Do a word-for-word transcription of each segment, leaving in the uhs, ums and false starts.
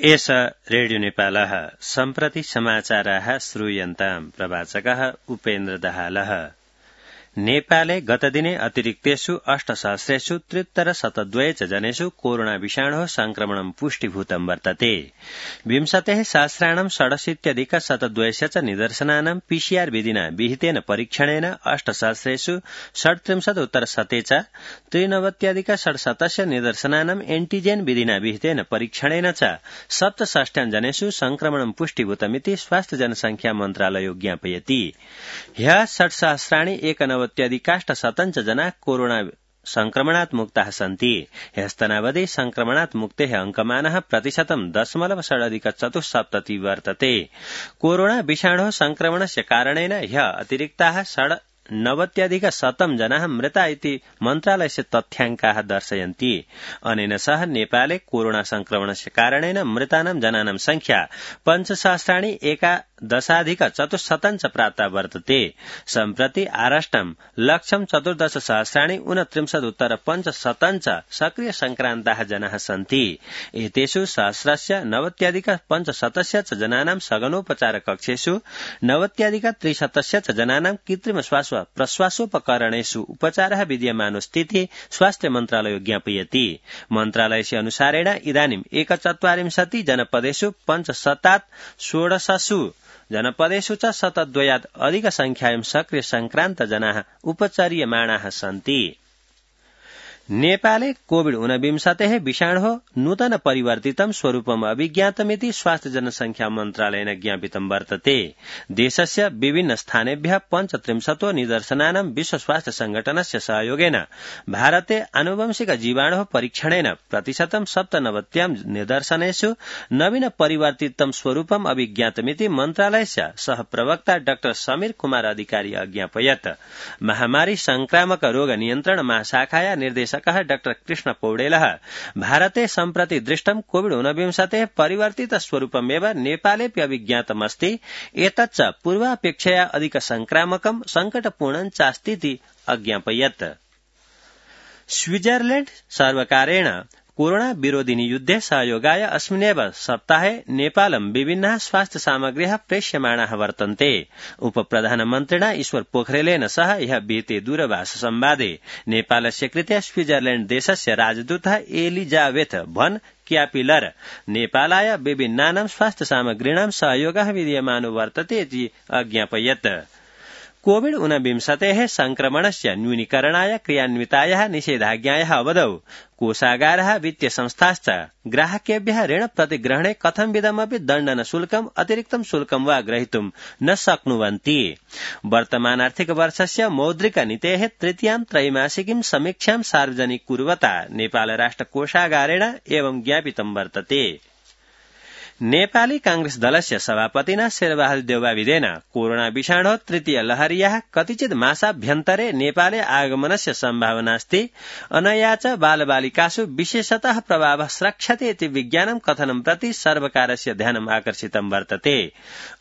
एष रेडियो नेपालः सम्प्रति समाचाराः श्रूयन्ताम् प्रवाचकः उपेन्द्र दाहालः। नेपाले गतदिने अतिरिक्तेषु अष्टसहस्रेषु त्रित्तर शतद्वय च जनेषु कोरोना विषाणोः संक्रमणं पुष्टिभूतं वर्तते। विंशतेः सहस्राणां षडशीत्यधिक शतद्वयस्य च निदर्शनानां पीसीआर विधिना विहितेन परीक्षणेन अष्टसहस्रेषु षड्त्रिंशदुत्तर शते च त्रिनवत्यधिक षड्शतस्य निदर्शनानां एन्टिजेन विधिना विहितेन परीक्षणेन च सप्तषष्ट्यां जनेषु संक्रमणं पुष्टिभूतमिति स्वास्थ्य जनसंख्या मन्त्रालयो ज्ञापयति। ह्यः षट्सहस्राणि एकनवत्यधिकाष्टशतं च जना कोरोना संक्रमणात् मुक्ताः सन्ति। ह्यस्तनावधि संक्रमणात् मुक्तेः अंकमानः प्रतिशतं दशमलव षडधिक चतुस्सप्तति वर्तते। कोरोना विषाणोः संक्रमणस्य कारणेन ह्यः अतिरिक्ताः षड् नवत्यधिक शतं जनाः मृता इति मन्त्रालयस्य तथ्याङ्काः दर्शयन्ति। अनेन सह नेपाले कोरोना संक्रमणस्य कारणेन मृतानां जनानां संख्या पञ्चसहस्राणि एकादशाधिक चतुश्शतं च प्राप्ता वर्तते। सम्प्रति आराष्टं लक्षं चतुर्दश सहस्राणि ऊनत्रिंशदुत्तर पञ्चशतं च सक्रिय संक्रान्ताः जनाः सन्ति। एतेषु सहस्रस्य नवत्यधिक पञ्चशतस्य च जनानां सघनोपचार कक्षेषु नवत्यधिक त्रिशतस्य च जनानां कृत्रिम श्वास प्रश्वासोपकरणेषु उपचारः विद्यमानोऽस्तीति स्वास्थ्य मन्त्रालयो ज्ञापयति। मन्त्रालयस्य अनुसारेण इदानीं एकचत्वारिंशति जनपदेषु पञ्चशतात् षोडशसु जनपदेषु च शतद्वयात् अधिक संख्यायां सक्रिय संक्रान्त जनाः उपचार्यमाणाः सन्ति। नेपाले कोविड ऊनविंशतेः विषाणोः नूतन परिवर्तितं स्वरूपम् अभिज्ञातमिति स्वास्थ्य जनसंख्या मन्त्रालयेन ज्ञापितं वर्तते। देशस्य विभिन्न स्थानेभ्यः पञ्चत्रिंशतो निदर्शनानां विश्व स्वास्थ्य संघटनस्य सहयोगेन भारते आनुवंशिक जीवाणोः परीक्षणेन प्रतिशतं सप्तनवत्यां निदर्शनेषु नवीन परिवर्तितं स्वरूपम् अभिज्ञातमिति मन्त्रालयस्य सहप्रवक्ता डाक्टर समीर कुमार अधिकारी अज्ञापयत्। महामारी संक्रामक रोग नियन्त्रण महाशाखाया निर्देशक डाक्टर कृष्ण पौडेलः भारते सम्प्रति दृष्टं कोविड ऊनविंशतेः परिवर्तित स्वरूपमेव नेपालेऽपि अभिज्ञातमस्ति। एतच्च पूर्वापेक्षया अधिक संक्रामकं संकटपूर्णं चास्तीति अज्ञापयत्। स्विट्जरलैण्ड सर्वकारेण कोरोना विरोधिनि युद्धे सहयोगाय अस्मिन्नेव सप्ताहे नेपालं विभिन्नाः स्वास्थ्य सामग्र्यः प्रेष्यमाणाः वर्तन्ते। उपप्रधानमन्त्रिणा ईश्वर पोखरेलेन सह ह्यः विहिते दूरभाष संवादे नेपालस्य कृते स्विट्जरलैण्ड देशस्य राजदूतः एलिजाबेथ भन क्यापिलर नेपालाय विभिन्नानां स्वास्थ्य सामग्रीणां सहयोगः विद्यमानो वर्तते इति अज्ञापयत्। कोविड ऊनविंशतेः संक्रमणस्य न्यूनीकरणाय क्रियान्वितायाः निषेधाज्ञायाः अवधौ कोषागारः वित्तीय संस्थाश्च ग्राहकेभ्यः ऋण प्रतिग्रहणे कथंविधमपि दण्डन शुल्कम् अतिरिक्तं शुल्कं वा ग्रहीतुं न शक्नुवन्ति। वर्तमानार्थिक वर्षस्य मौद्रिक नीतेः तृतीयां त्रैमासिकीं समीक्षां सार्वजनिक कुर्वता नेपाल राष्ट्र कोषागारेण एवं ज्ञापितं वर्तते। नेपाली कांग्रेस दलस्य सभापतिना शेरबहादुर देउवाविदेन कोरोना विषाणोः तृतीय लहर्याः कतिचित् मासाभ्यन्तरे नेपाले आगमनस्य सम्भावनास्ति। अनया च बालबालिकासु विशेषतः प्रभावः स्रक्ष्यते इति विज्ञानं कथनं प्रति सर्वकारस्य ध्यानम् आकर्षितं वर्तते।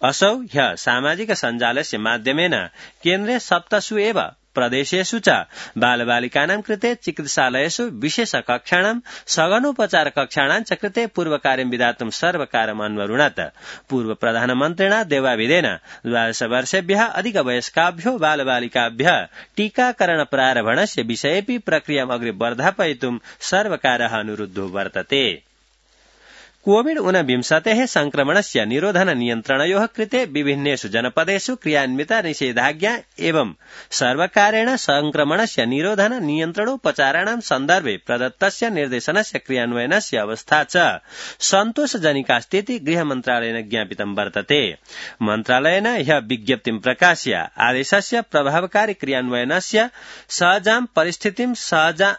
असौ ह्यः सामाजिक सञ्जालस्य माध्यमेन केन्द्रे सप्तसु एव प्रदेशेषु च बालबालिकानां कृते चिकित्सालयेषु विशेष कक्षाणां सघनोपचार कक्षाणां च कृते पूर्वकार्यं विधातुं सर्वकारम् अन्वरुणत्। पूर्व प्रधानमन्त्रिणा देवाविदेन द्वादश वर्षेभ्यः अधिकवयस्काभ्यो बालबालिकाभ्यः टीकाकरण प्रारम्भणस्य विषयेऽपि प्रक्रियाम् अग्रे वर्धापयितुं सर्वकारः अनुरुद्धो वर्तते। कोविड ऊनविंशतेः संक्रमणस्य निरोधन नियन्त्रणयोः कृते विभिन्नेषु जनपदेषु क्रियान्विता निषेधाज्ञा एवं सर्वकारेण संक्रमणस्य निरोधन नियन्त्रणोपचाराणां सन्दर्भे प्रदत्तस्य निर्देशनस्य क्रियान्वयनस्य अवस्था च सन्तोषजनकास्तीति गृहमन्त्रालयेन ज्ञापितं वर्तते। मन्त्रालयेन ह्यः विज्ञप्तिं प्रकाश्य आदेशस्य प्रभावकारी क्रियान्वयनस्य सहजां परिस्थितिं सहजा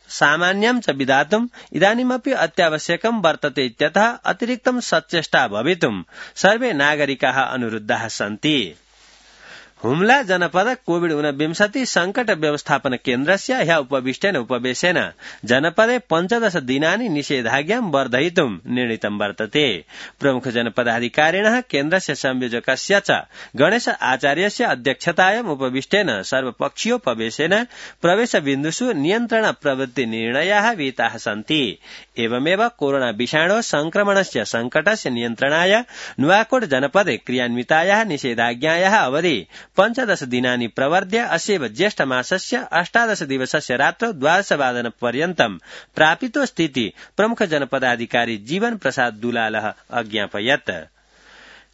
सामान्यं च विधातुम् इदानीमपि अत्यावश्यकं वर्तते इत्यतः अतिरिक्तं सचेष्टा भवितुं सर्वे नागरिकाः अनुरुद्धाः सन्ति। हुम्ला जनपद कोविड ऊनविंशति संकट व्यवस्थापन केन्द्रस्य ह्य उपविष्टेन उपवेशेन जनपदे पञ्चदश दिनानि निषेधाज्ञां वर्धयितुं निर्णीतं वर्तते। प्रमुख जनपदाधिकारिणः केन्द्रस्य संयोजकस्य च गणेश आचार्यस्य अध्यक्षतायाम् उपविष्टेन सर्वपक्षीयोपवेशेन प्रवेशबिन्दुषु नियन्त्रण प्रवृत्ति निर्णयाः विहिताः सन्ति। एवमेव कोरोना विषाणो संक्रमणस्य संकटस्य नियन्त्रणाय नुवाकोट जनपदे क्रियान्वितायाः निषेधाज्ञायाः अवधि पञ्चदश दिनानि प्रवर्ध्य अस्यैव ज्येष्ठ मासस्य अष्टादश दिवसस्य रात्रौ द्वादशवादन पर्यन्तं प्रापितोऽस्तीति प्रमुख जनपदाधिकारी जीवन प्रसाद दुलालः अज्ञापयत्।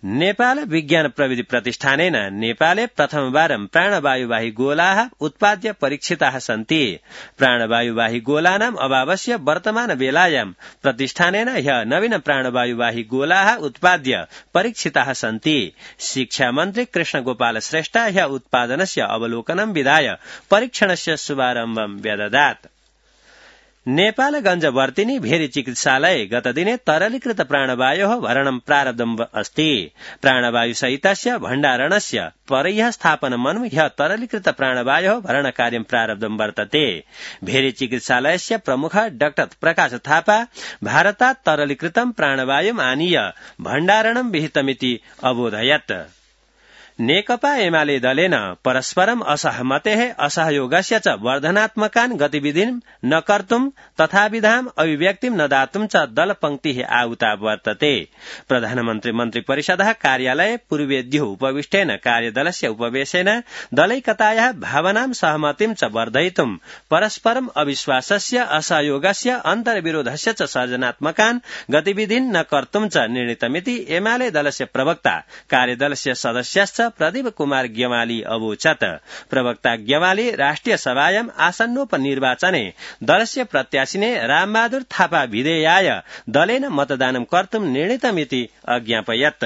नेपाल विज्ञान प्रविधि प्रतिष्ठानेन नेपाले प्रथमवारं प्राणवायुवाही गोलाः उत्पाद्य परीक्षिताः सन्ति। प्राणवायुवाही गोलानाम् अभावस्य वर्तमान बेलायां प्रतिष्ठानेन ह्य नवीन प्राणवायुवाही गोलाः उत्पाद्य परीक्षिताः सन्ति। शिक्षा मन्त्री कृष्ण गोपाल श्रेष्ठ ह्य उत्पादनस्य अवलोकनं विधाय परीक्षणस्य शुभारम्भं व्यददात्। नेपालगंज वर्तिनी भेरी चिकित्सालये गतदिने तरलीकृत प्राणवायोः भरणं प्रारब्धम् अस्ति। प्राणवायुसहितस्य भण्डारणस्य परह्यः स्थापनमनु ह्यः तरलीकृत प्राणवायोः भरणकार्यं प्रारब्धं वर्तते। भेरी चिकित्सालयस्य प्रमुखः डाक्टर प्रकाश थापा भारतात् तरलीकृतं प्राणवायुम् आनीय भण्डारणं विहितमिति अबोधयत्। नेकपा एमाले दलेन परस्परम् असहमतेः असहयोगस्य च वर्धनात्मकान् गतिविधिं न कर्तुं तथाविधाम् अभिव्यक्तिं न दातुं च दलपंक्तिः आहुता वर्तते। प्रधानमन्त्री मन्त्रिपरिषदः कार्यालये पूर्वेद्युः उपविष्टेन कार्यदलस्य उपवेशेन दलैकतायाः भावनां सहमतिं च वर्धयितुं परस्परम् अविश्वासस्य असहयोगस्य अन्तर्विरोधस्य च सर्जनात्मकान् गतिविधिं न कर्तुं च निर्णीतमिति एमाले दलस्य प्रवक्ता कार्यदलस्य सदस्यश्च प्रदीप कुमार ग्यवाली अवोचत्। प्रवक्ता ग्यवाली राष्ट्रिय सभायाम् आसन्नोपनिर्वाचने दलस्य प्रत्याशिने रामबहादुर थापा विधेयाय दलेन मतदानं कर्तुं निर्णीतमिति अज्ञापयत्।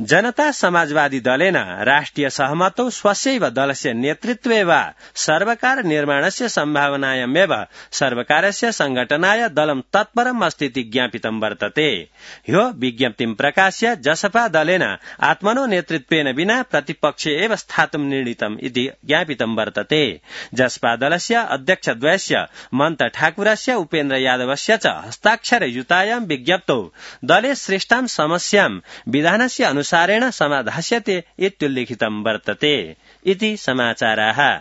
जनता समाजवादी दलेन राष्ट्रिय सहमतौ स्वस्यैव दलस्य नेतृत्वे वा सर्वकार निर्माणस्य सम्भावनायामेव सर्वकारस्य संघटनाय दलं तत्परम् अस्तीति ज्ञापितं वर्तते। ह्यो विज्ञप्तिं प्रकाश्य जसपा दलेन आत्मनो नेतृत्वेन विना प्रतिपक्षे एव स्थातुं निर्णीतम् इति ज्ञापितं वर्तते। जसपा दलस्य अध्यक्षद्वयस्य मन्त ठाकुरस्य उपेन्द्र यादवस्य च हस्ताक्षरयुतायां विज्ञप्तौ दले सृष्टां समस्यां विधानस्य अनुसारेण समाधास्यते इत्युल्लिखितं वर्तते इति समाचाराः।